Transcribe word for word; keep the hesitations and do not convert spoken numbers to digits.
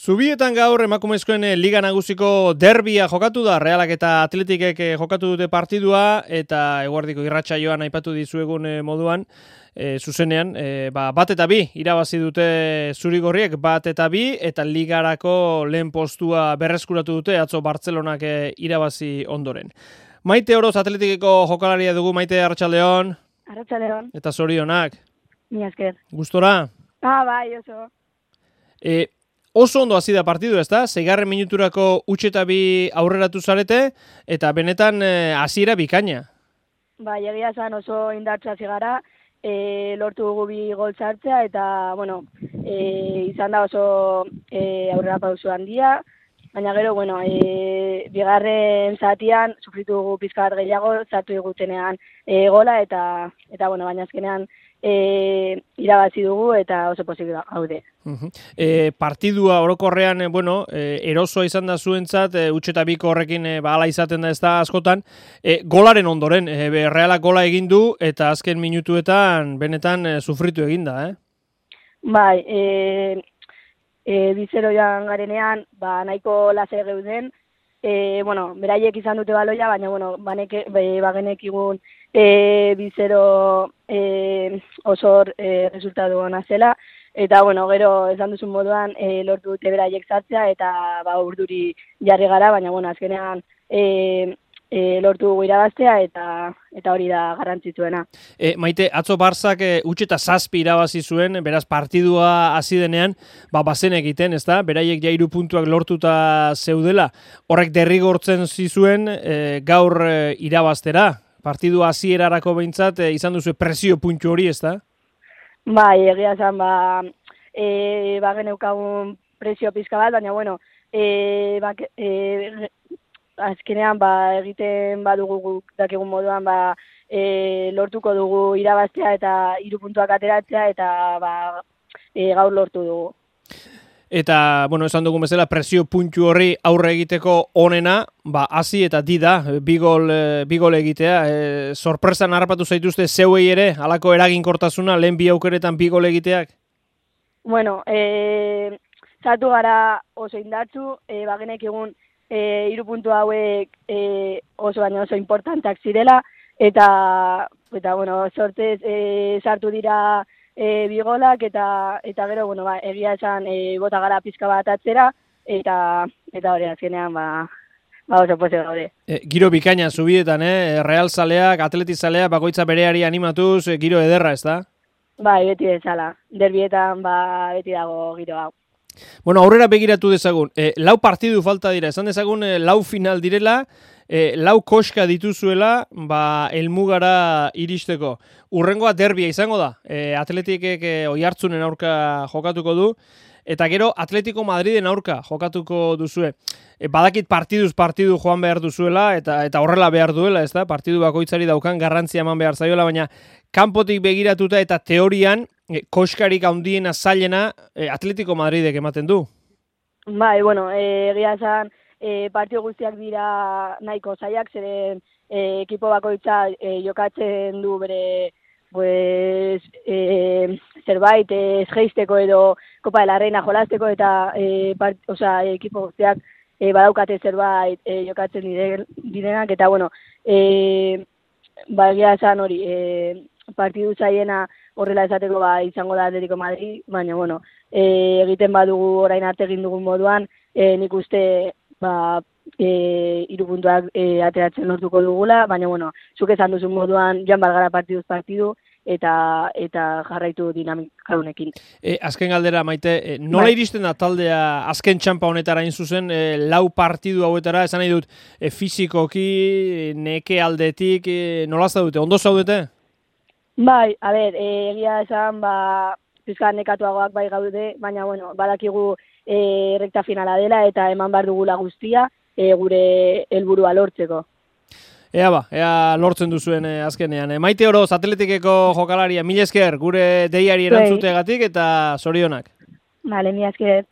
Zubietan gaur emakumezkoen Liga Nagusiko derbia jokatu da, Realak eta Atletikek jokatu dute partidua, eta eguerdiko irratsaioan aipatu dizuegun moduan, e, zuzenean, e, ba, bat eta bi, irabazi dute zurigorriek, bat eta bi, eta Ligarako lehen postua berreskuratu dute, atzo Bartzelonak e, irabazi ondoren. Maite Oroz Atletikeko jokalaria dugu, Maite, Arratsaldeon. Arratsaldeon. Eta zorionak. Ni esker. Gustora? Ah, bai, oso. E, Oso ondo hasi da partidu, ezta? Seigarren minuturako huts eta bi aurreratu zarete, eta benetan hasiera bikaina. Bai, egia esan oso indartsu hasi gara, e, lortu dugu bi gol sartzea, eta, bueno, e, izan da oso e, aurrera pauso handia, baina gero, bueno, e, bigarren zatian sufritu dugu pizka bat gehiago, sartu digutenean e, gola, eta, eta, bueno, baina azkenean E, irabazi dugu eta oso posible gaude. Uh-huh. E, partidua orokorrean, bueno, e, erosoa izan da zuentzat, e, huts eta biko horrekin e, ba, ala izaten da ez da askotan, e, golaren ondoren, e, Realak gola egin du eta azken minutuetan benetan e, sufritu egin da, eh? Bai, e, e, bizero joan garenean, ba, nahiko lase geuden, e, bueno, beraiek izan dute baloia, baina, bueno, baneke, bagenek igun E, bizero e, osor e, resultatu ona zela, eta bueno, gero esan duzun moduan e, lortu dute beraiek sartzea eta ba urduri jarri gara, baina bueno, azkenean e, e, lortu dugu irabaztea eta eta hori da garrantzitsuena. E, Maite, atzo Barzak e, huts eta zazpi irabazi zuen, beraz partidua hasi denean, ba bazen egiten, ezta? Beraiek ja hiru puntuak lortuta zeudela. Horrek derrigortzen zizuen e, gaur e, irabaztera. Partidu hasierarako behintzat e, izan duzu presio puntu hori, ez da? Bai, egia esan, ba, e, ba geneukagun presio pizka bat, baina, bueno, e, ba, e, azkenean, ba, egiten badugu dakigun moduan, ba, e, lortuko dugu irabaztea eta hiru puntuak ateratzea, eta ba, e, gaur lortu dugu. Eta, bueno, esan dugun bezala, presio puntu horri aurre egiteko onena, ba, hasi eta di da, bigol, bigol egitea. E, sorpresan harrapatu zaituzte zeuei ere, halako eraginkortasuna, lehen bi aukeretan bigol egiteak? Bueno, e, zatu gara oso indartzu, e, bagenek egun e, hiru puntu hauek e, oso baina oso importanteak zirela, eta, eta bueno, sortez e, sartu dira E, bigolak eta eta gero bueno ba egia esan e, bota gara pizka bat atzera eta eta hori azkenean ba ba oso pozik gaude. E, giro bikaina zubietan, eh, Real zaleak, Atleti zaleak bakoitza bereari animatuz, e, giro ederra, ezta? Bai, beti bezala. Derbietan ba beti dago giro hau. Bueno, aurrera begiratu dezagun. E, lau partidu falta dira. Esan dezagun e, lau final direla, e, lau koska dituzuela, ba helmugara iristeko. Urrengoa derbia izango da. E, Atletikek e, Oiartzunen aurka jokatuko du, eta gero Atletico Madriden aurka jokatuko duzue. E, badakit partiduz partidu joan behar duzuela, eta eta horrela behar duela, ez da? Partidu bakoitzari daukan garrantzia eman behar zaiola, baina kanpotik begiratuta eta teorian, e, koskarik handiena zailena e, Atletico Madridek ematen du. Bai, bueno, egia esan e, partidu guztiak dira nahiko zailak, zeren e, ekipo bakoitza e, jokatzen du bere pues eh, zerbait ez geisteko edo Copa de la Reina jolasteko eta eh, part, osea, ekipo guztiak eh, badaukate zerbait eh, jokatzen dire, direnak eta bueno, eh, ba egia esan hori eh, partidu zailena horrela esateko ba izango da Atletico Madrid, baina bueno, eh, egiten badugu orain arte egin dugun moduan, eh, nik uste ba E, hiru puntuak e, ateratzen lortuko dugula, baina bueno, zuk esan duzun moduan joan balgara partiduz partidu eta eta jarraitu dinamika honekin. E, azken galdera, Maite, e, nola bai. Iristen da taldea azken txanpa honetara hain zuzen, e, lau partidu hauetara, esan nahi dut, e, fizikoki, neke aldetik, e, nola zaudete, ondo zaudete? Bai, a ber, e, egia esan, ba, pizka nekatuagoak bai gaude, baina bueno, badakigu e, rekta finala dela eta eman behar dugula guztia, E, gure helburua lortzeko. Ea ba, ea lortzen duzuen e, azkenean. E, Maite Oroz, Atletikeko jokalaria, mila esker, gure deiari erantzuteagatik eta zorionak. Vale, mila esker.